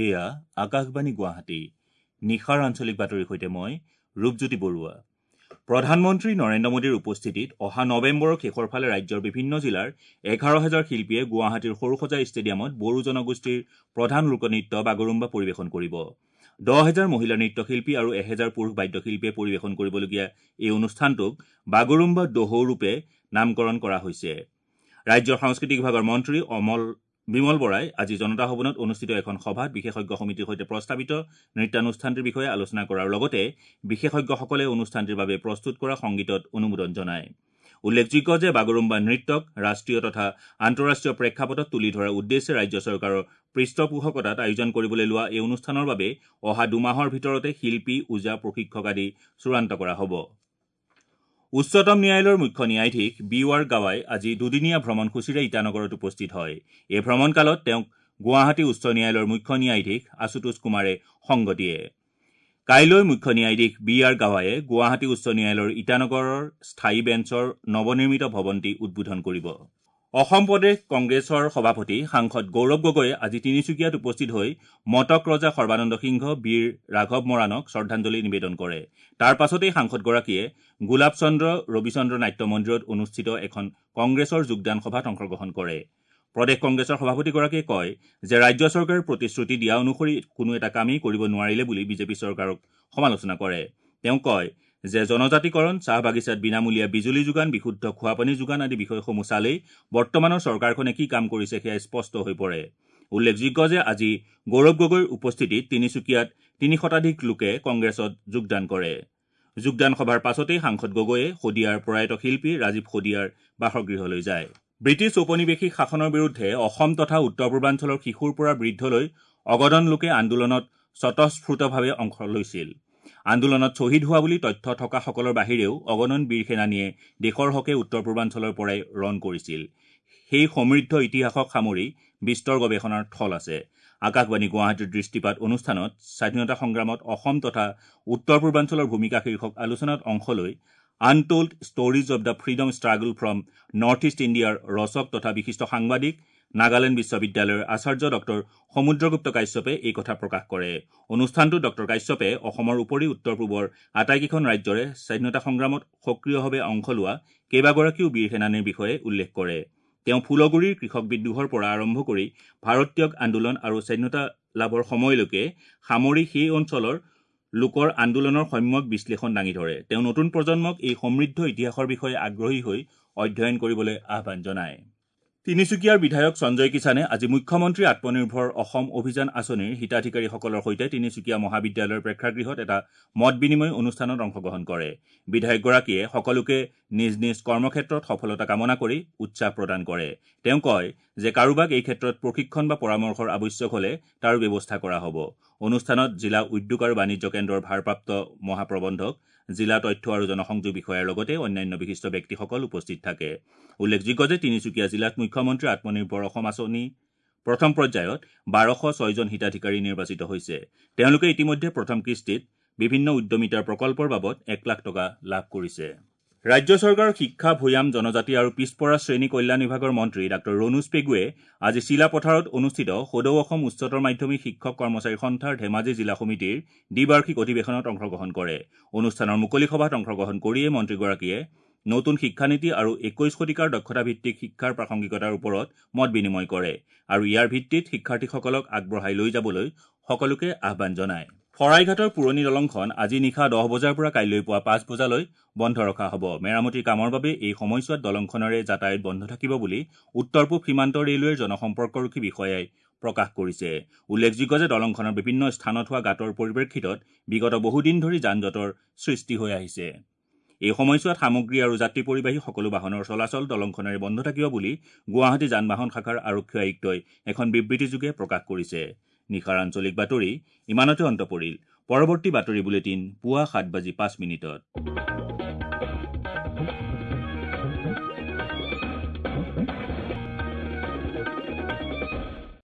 এয়া আকাশবাণী গুৱাহাটী। নিশাৰ আঞ্চলিক বাতৰিৰ সৈতে মই ৰূপজ্যোতি বৰুৱা। প্ৰধানমন্ত্ৰী নৰেন্দ্ৰ মোদীৰ উপস্থিতিত অহা নৱেম্বৰৰ শেষৰ ফালে ৰাজ্যৰ বিভিন্ন জিলাৰ 11,000 শিল্পীয়ে গুৱাহাটীৰ সৰুসজাই ষ্টেডিয়ামত বড়ো জনগোষ্ঠীৰ প্ৰধান লোকনৃত্য বাগৰুম্বা পৰিৱেশন কৰিব। 10,000 মহিলা নৃত্যশিল্পী আৰু 1,000 পুৰুষ বাদ্যশিল্পীয়ে পৰিৱেশন কৰিবলগীয়া এই অনুষ্ঠানটোক বাগৰুম্বা দহৌ ৰূপে নামকৰণ কৰা হৈছে। ৰাজ্যৰ সাংস্কৃতিক বিভাগৰ মন্ত্ৰী বিমল বৰাই আজি জনতা ভৱনত অনুষ্ঠিত এখন সভাত বিশেষজ্ঞ সমিতিৰ সৈতে প্ৰস্তাৱিত নৃত্যানুষ্ঠানটিৰ বিষয়ে আলোচনা কৰাৰ লগতে বিশেষজ্ঞসকলে অনুষ্ঠানটিৰ বাবে প্ৰস্তুত কৰা সংগীতত অনুমোদন জনায়। উল্লেখযোগ্য যে বাগৰুম্বা নৃত্যক ৰাষ্ট্ৰীয় তথা আন্তঃৰাষ্ট্ৰীয় প্ৰেক্ষাপটত তুলি ধৰাৰ উদ্দেশ্যে ৰাজ্য চৰকাৰৰ পৃষ্ঠপোষকতাত আয়োজন কৰিবলৈ লোৱা এই অনুষ্ঠানৰ বাবে অহা 2 মাহৰ ভিতৰতে শিল্পী, ওজা, প্ৰশিক্ষক আদি চূড়ান্ত কৰা হ'ব। উচ্চতম ন্যায়ালয়ৰ মুখ্য ন্যায়াধীশ বি আৰ গাৱাই আজি দুদিনীয়া ভ্ৰমণসূচীৰে ইটানগৰত উপস্থিত হয়। এই ভ্ৰমণকালত তেওঁক গুৱাহাটী উচ্চ ন্যায়ালয়ৰ মুখ্য ন্যায়াধীশ আশুতোষ কুমাৰে সংগ দিয়ে। কাইলৈ মুখ্য ন্যায়াধীশ বি আৰ গাৱায়ে গুৱাহাটী উচ্চ ন্যায়ালয়ৰ ইটানগৰৰ স্থায়ী বেঞ্চৰ নৱনিৰ্মিত ভৱনটি উদ্বোধন কৰিব। অসম প্ৰদেশ কংগ্ৰেছৰ সভাপতি সাংসদ গৌৰৱ গগৈয়ে আজি তিনিচুকীয়াত উপস্থিত হৈ মটক ৰজা সৰ্বানন্দ সিংহ বীৰ ৰাঘৱ মৰাণক শ্ৰদ্ধাঞ্জলি নিবেদন কৰে। তাৰ পাছতেই সাংসদগৰাকীয়ে গোলাপ চন্দ্ৰ ৰবিচন্দ্ৰ নাট্য মন্দিৰত অনুষ্ঠিত এখন কংগ্ৰেছৰ যোগদান সভাত অংশগ্ৰহণ কৰে। প্ৰদেশ কংগ্ৰেছৰ সভাপতিগৰাকীয়ে কয় যে ৰাজ্য চৰকাৰে প্ৰতিশ্ৰুতি দিয়া অনুসৰি কোনো এটা কামেই কৰিব নোৱাৰিলে বুলি বিজেপি চৰকাৰক সমালোচনা কৰে। তেওঁ কয় যে জনজাতিকৰণ, চাহ বাগিচাত বিনামূলীয়া বিজুলী যোগান, বিশুদ্ধ খোৱাপানী যোগান আদি বিষয়সমূহ চালেই বৰ্তমানৰ চৰকাৰখনে কি কাম কৰিছে সেয়া স্পষ্ট হৈ পৰে। উল্লেখযোগ্য যে আজি গৌৰৱ গগৈৰ উপস্থিতিত তিনিচুকীয়াত 3 শতাধিক লোকে কংগ্ৰেছত যোগদান কৰে। যোগদান সভাৰ পাছতেই সাংসদ গগৈয়ে শদিয়াৰ প্ৰয়াত শিল্পী ৰাজীৱ শদিয়াৰ বাসগৃহলৈ যায়। ব্ৰিটিছ ঔপনিৱেশিক শাসনৰ বিৰুদ্ধে অসম তথা উত্তৰ পূৰ্বাঞ্চলৰ শিশুৰ পৰা বৃদ্ধলৈ অগণন লোকে আন্দোলনত স্বতঃস্ফূৰ্তভাৱে অংশ লৈছিল। আন্দোলনত শ্বহীদ হোৱা বুলি তথ্য থকাসকলৰ বাহিৰেও অগণন বীৰ সেনানীয়ে দেশৰ হকে উত্তৰ পূৰ্বাঞ্চলৰ পৰাই ৰণ কৰিছিল। সেই সমৃদ্ধ ইতিহাসক সামৰি বিস্তৰ গৱেষণাৰ থল আছে। আকাশবাণী গুৱাহাটীৰ দৃষ্টিপাত অনুষ্ঠানত স্বাধীনতা সংগ্ৰামত অসম তথা উত্তৰ পূৰ্বাঞ্চলৰ ভূমিকা শীৰ্ষক আলোচনাত অংশ লৈ Untold Stories of the Freedom Struggle from North East ইণ্ডিয়াৰ ৰচক তথা বিশিষ্ট সাংবাদিক, নাগালেণ্ড বিশ্ববিদ্যালয়ৰ আচাৰ্য ডক্টৰ সমুদ্ৰগুপ্ত কাশ্যপে এই কথা প্ৰকাশ কৰে। অনুষ্ঠানটোত ডক্টৰ কাশ্যপে অসমৰ উপৰি উত্তৰ পূবৰ আটাইকেইখন ৰাজ্যৰে স্বাধীনতা সংগ্ৰামত সক্ৰিয়ভাৱে অংশ লোৱা কেইবাগৰাকীও বীৰ সেনানীৰ বিষয়ে উল্লেখ কৰে। তেওঁ ফুলগুৰিৰ কৃষক বিদ্ৰোহৰ পৰা আৰম্ভ কৰি ভাৰত ত্যাগ আন্দোলন আৰু স্বাধীনতা লাভৰ সময়লৈকে সামৰি সেই অঞ্চলৰ লোকৰ আন্দোলনৰ সম্যক বিশ্লেষণ দাঙি ধৰে। তেওঁ নতুন প্ৰজন্মক এই সমৃদ্ধ ইতিহাসৰ বিষয়ে আগ্ৰহী হৈ অধ্যয়ন কৰিবলৈ আহ্বান জনায়। তিনিচুকীয়াৰ বিধায়ক সঞ্জয় কিষাণে আজি মুখ্যমন্ত্ৰী আত্মনিৰ্ভৰ অসম অভিযান আঁচনিৰ হিতাধিকাৰীসকলৰ সৈতে তিনিচুকীয়া মহাবিদ্যালয়ৰ প্ৰেক্ষাগৃহত এটা মত বিনিময় অনুষ্ঠানত অংশগ্ৰহণ কৰে। বিধায়কগৰাকীয়ে সকলোকে নিজ নিজ কৰ্মক্ষেত্ৰত সফলতা কামনা কৰি উৎসাহ প্ৰদান কৰে। তেওঁ কয় যে কাৰোবাক এই ক্ষেত্ৰত প্ৰশিক্ষণ বা পৰামৰ্শৰ আৱশ্যক হলে তাৰো ব্যৱস্থা কৰা হ'ব। অনুষ্ঠানত জিলা উদ্যোগ আৰু বাণিজ্য কেন্দ্ৰৰ ভাৰপ্ৰাপ্ত মহাপ্ৰবন্ধক, জিলা তথ্য আৰু জনসংযোগ বিষয়াৰ লগতে অন্যান্য বিশিষ্ট ব্যক্তিসকল উপস্থিত থাকে। উল্লেখযোগ্য যে তিনিচুকীয়া জিলাত মুখ্যমন্ত্ৰী আত্মনিৰ্ভৰ অসম আঁচনি প্ৰথম পৰ্যায়ত 1206 জন হিতাধিকাৰী নিৰ্বাচিত হৈছে। তেওঁলোকে ইতিমধ্যে প্ৰথম কিস্তিত বিভিন্ন উদ্যমিতাৰ প্ৰকল্পৰ বাবদ 1 লাখ টকা লাভ কৰিছে। ৰাজ্য চৰকাৰৰ শিক্ষা, ভৈয়াম জনজাতি আৰু পিছপৰা শ্ৰেণী কল্যাণ বিভাগৰ মন্ত্ৰী ডাঃ ৰণোজ পেগুৱে আজি চিলাপথাৰত অনুষ্ঠিত সদৌ অসম উচ্চতৰ মাধ্যমিক শিক্ষক কৰ্মচাৰী সন্থাৰ ধেমাজি জিলা সমিতিৰ দ্বিবাৰ্ষিক অধিৱেশনত অংশগ্ৰহণ কৰে। অনুষ্ঠানৰ মুকলি সভাত অংশগ্ৰহণ কৰিয়ে মন্ত্ৰীগৰাকীয়ে নতুন শিক্ষানীতি আৰু 21 শতিকাৰ দক্ষতাভিত্তিক শিক্ষাৰ প্ৰাসংগিকতাৰ ওপৰত মত বিনিময় কৰে আৰু ইয়াৰ ভিত্তিত শিক্ষাৰ্থীসকলক আগবঢ়াই লৈ যাবলৈ সকলোকে আহ্বান জনায়। শৰাইঘাটৰ পুৰণি দলংখন আজি নিশা 10 বজাৰ পৰা কাইলৈ পুৱা 5 বজালৈ বন্ধ ৰখা হ'ব। মেৰামতিৰ কামৰ বাবে এই সময়ছোৱাত দলংখনেৰে যাতায়াত বন্ধ থাকিব বুলি উত্তৰ পূব সীমান্ত ৰেলৱেৰ জনসম্পৰ্কৰক্ষী বিষয়াই প্ৰকাশ কৰিছে। উল্লেখযোগ্য যে দলংখনৰ বিভিন্ন স্থানত হোৱা গাঁতৰ পৰিপ্ৰেক্ষিতত বিগত বহুদিন ধৰি যান জঁটৰ সৃষ্টি হৈ আহিছে। এই সময়ছোৱাত সামগ্ৰী আৰু যাত্ৰী পৰিবাহী সকলো বাহনৰ চলাচল দলংখনেৰে বন্ধ থাকিব বুলি গুৱাহাটী যান বাহন শাখাৰ আৰক্ষী আয়ুক্তই এখন বিবৃতিযোগে প্ৰকাশ কৰিছে। নিশাৰ আঞ্চলিক বাতৰি ইমানতে অন্ত পৰিল। পৰৱৰ্তী বাতৰি বুলেটিন পুৱা 7:05।